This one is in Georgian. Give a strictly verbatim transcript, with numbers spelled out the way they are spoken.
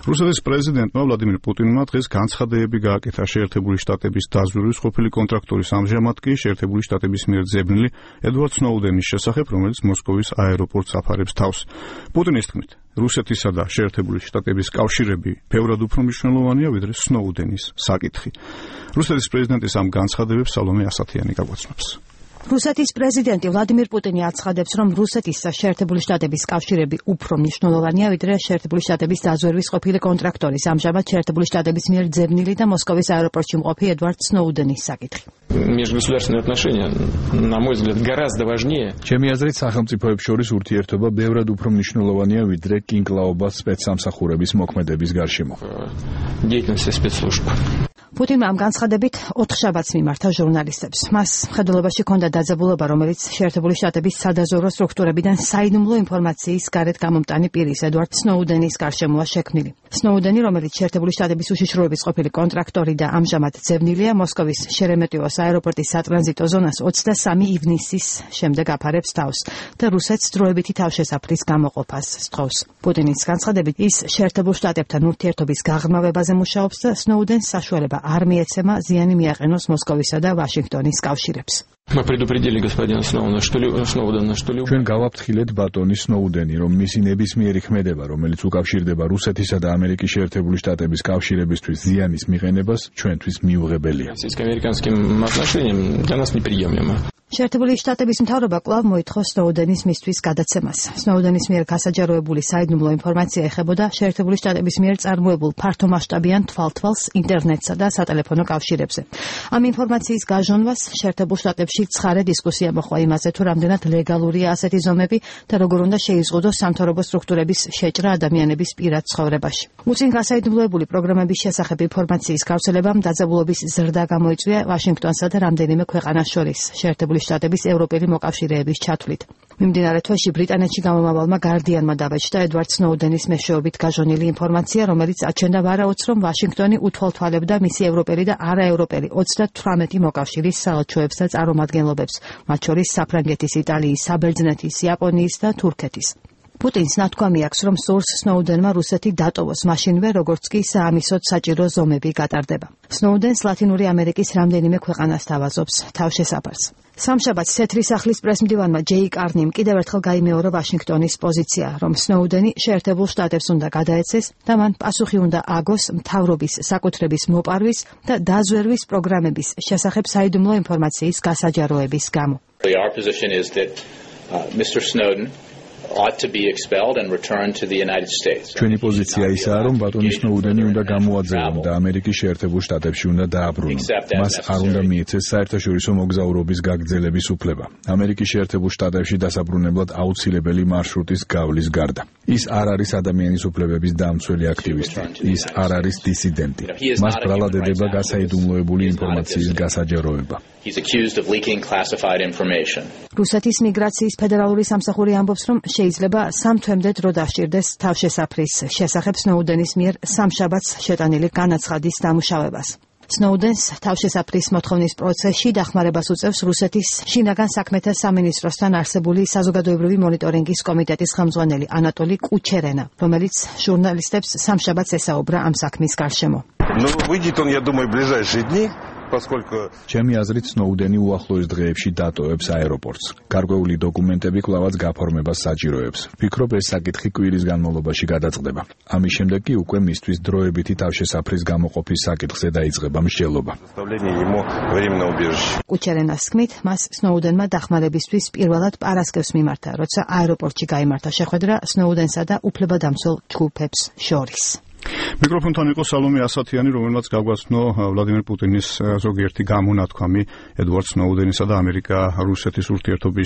რუსეთის პრეზიდენტმა ვლადიმირ პუტინმა დღეს განცხადებები გააკეთა შეერთებული შტატების დაზვერვის ყოფილი კონტრაქტორის ამჟამად კი შეერთებული შტატების მიერ ძებნილი ედვარდ სნოუდენის შესახებ, რომელიც მოსკოვის აეროპორტს აფარებს თავს. პუტინის თქმით, რუსეთისა და შეერთებული შტატების კავშირები ბევრად უფრო მნიშვნელოვანია, ვიდრე სნოუდენის საკითხი. რუსეთის პრეზიდენტის ამ განცხადებებს სალომე ასათიანი გაგვაცნობს. რუსეთის პრეზიდენტი ვლადიმირ პუტინი აცხადებს, რომ რუსეთის და შეერთებული შტატების კავშირები უფრო მნიშვნელოვანია, ვიდრე შეერთებული შტატების დაზვერვის ყოფილი კონტრაქტორის ამჟამად შეერთებული შტატების მიერ ძებნილი და მოსკოვის აეროპორტში მყოფი ედვარდ სნოუდენის საკითხი. Межгосударственные отношения, на мой взгляд, гораздо важнее. ჩემი აზრით, სახელმწიფოებს შორის ურთიერთობა ბევრად უფრო მნიშვნელოვანია, ვიდრე კინკლაობა სპეცსამსახურების მოქმედების გარშემო. Деятельность спецслужб. პუტინმა ამ განცხადებით ოთხშაბათს მიმართა ჟურნალისტებს. მას მხედველობაში ჰქონდა დაძაბულობა, რომელიც შეერთებული შტატების სადაზვერვო სტრუქტურებიდან საიდუმლო ინფორმაციის გარეთ გამომტანი პირის ედვარდ სნოუდენის გარშემოა შექმნილი. სნოუდენი, რომელიც შეერთებული შტატების უშიშროების ყოფილი კონტრაქტორი და ამჟამად ძებნილია, მოსკოვის შერემეტიევოს აეროპორტის სატრანზიტო ზონას ოცდასამი ივნისის შემდეგ აფარებს თავს და რუსეთს დროებითი თავშესაფრის გამოყოფას სთხოვს. პუტინის განცხადებით, ის შეერთებულ შტატებთან ურთიერთობის გაღრმავებაზე მუშაობს და სნოუდენს საშუალება არ მიეცემა ზიანი მიაყენოს მოსკოვისა და ვაშინგტონის კავშირებს. Мы предупредили господина Сноудена, что Сноудена, что ჩვენ გავაფრთხილეთ ბატონი სნოუდენი, რომ მისი ნებისმიერი ქმედება, რომელიც უკავშირდება რუსეთისა და ამერიკის შეერთებული შტატების კავშირებისთვის ზიანის მიყენებას, ჩვენთვის მიუღებელია. Российско-американским отношениям для нас неприемлемо. შეერთებული შტატების მთავრობა კვლავ მოითხოვ სნოუდენის მისთვის გადაცემას. სნოუდენის მიერ გასაჯაროებული საიდუმლო ინფორმაცია ეხებოდა შეერთებული შტატების მიერ წარმოებულ ფართომასშტაბიან თვალთვალს ინტერნეტსა და სატელეფონო კავშირებზე. ამ ინფორმაციის გაჟონვას შეერთებულ შტატებში ცხარე დისკუსია მოჰყვა იმაზე, თუ რამდენად ლეგალურია ასეთი ზომები და როგორ უნდა შეიზღუდოს სამთავრობო სტრუქტურების შეჭრა ადამიანების პირად ცხოვრებაში. უწინ გასაიდუმლოებული პროგრამების შესახებ ინფორმაციის გავრცელებამ დაძაბულობის ზრდა გამოიწვია ვაშინგტონსა და რამდენიმე ქვეყანას შორის შეერთებული შტატების ევროპელი მოკავშირეების ჩათვლით. მიმდინარე თვეში ბრიტანეთში გამომავალმა გარდიანმა დაბეჭდა ედვარდ სნოუდენის მეშვეობით გაჟონილი ინფორმაცია, რომელიც აჩენდა ვარაუდს, რომ ვაშინგტონი უთვალთვალებდა მისი ევროპელი და არაევროპელი ოცდათვრამეტი მოკავშირის საელჩოებს და წარმომადგენლობებს, მათ შორის საფრანგეთის, იტალიის, საბერძნეთის, იაპონიის და თურქეთის. პუტინს ნათქვამი აქვს, რომ სურს სნოუდენმა რუსეთი დატოვოს მაშინვე, როგორც კი საამისოდ საჭირო ზომები გატარდება. სნოუდენს ლათინური ამერიკის რამდენიმე ქვეყანა სთავაზობს თავშესაფარს. სამშაბათს თეთრი სახლის პრესმდივანმა ჯეი კარნიმ კიდევ ერთხელ გაიმეორა ვაშინგტონის პოზიცია, რომ სნოუდენი შეერთებულ შტატებს უნდა გადაეცეს და მან პასუხი უნდა აგოს მთავრობის საკუთრების მოპარვის და დაზვერვის პროგრამების შესახებ საიდუმლო ინფორმაციის გასაჯაროების გამო. Our position is that uh, Mister Snowden ought to be expelled and returned to the United States. ჩვენი პოზიცია ისაა, რომ ბატონი სნოუდენი უნდა გამოაძევონ და ამერიკის შეერთებულ შტატებში უნდა დააბრუნონ. მას არ უნდა მიეცეს საერთაშორისო მოგზაურობის გაგრძელების უფლება. ამერიკის შეერთებულ შტატებში დასაბრუნებლად აუცილებელი მარშრუტის გავლის გარდა. ის არ არის ადამიანის უფლებების დამცველი აქტივისტი. ის არ არის დისიდენტი. მას ბრალად ედება გასაიდუმლოებული ინფორმაციის გასაჯაროება. He's accused of leaking classified information. რუსეთის მიგრაციის ფედერალური სამსახური ამბობს, რომ შეიძლება სამ თვემდე დრო დასჭირდეს თავშესაფრის შესახებ სნოუდენის მიერ სამშაბათს შეტანილი განაცხადის დამუშავებას. სნოუდენს თავშესაფრის მოთხოვნის პროცესში დახმარებას უწევს რუსეთის შინაგან საქმეთა სამინისტროსთან არსებული საზოგადოებრივი მონიტორინგის კომიტეტის ხელმძღვანელი ანატოლი კუჩერენა, რომელიც ჟურნალისტებს სამშაბათს ესაუბრა ამ საქმის გარშემო. Ну, выйдет он, я думаю, в ближайшие дни. ჩემი აზრით სნოუდენი უახლოეს დღეებში დატოვებს აეროპორტს. გარკვეული დოკუმენტები კვლავაც გაფორმებას საჭიროებს. ვფიქრობ, ეს საკითხი კვირის განმავლობაში გადაწყდება. ამის შემდეგ კი უკვე მისთვის დროებითი თავშესაფრის გამოყოფის საკითხზე დაიწყება მსჯელობა. კუჩერენას თქმით, მას სნოუდენმა დახმარებისთვის პირველად პარასკევს მიმართა, როცა აეროპორტში გაიმართა შეხვედრა სნოუდენსა და უფლებადამცველ ჯგუფებს შორის. მიკროფონთან იყო სალომე ასათიანი, რომელმაც გაგვაცნო ვლადიმირ პუტინის ზოგიერთი გამონათქვამი ედვარდ სნოუდენისა და ამერიკა-რუსეთის ურთიერთობის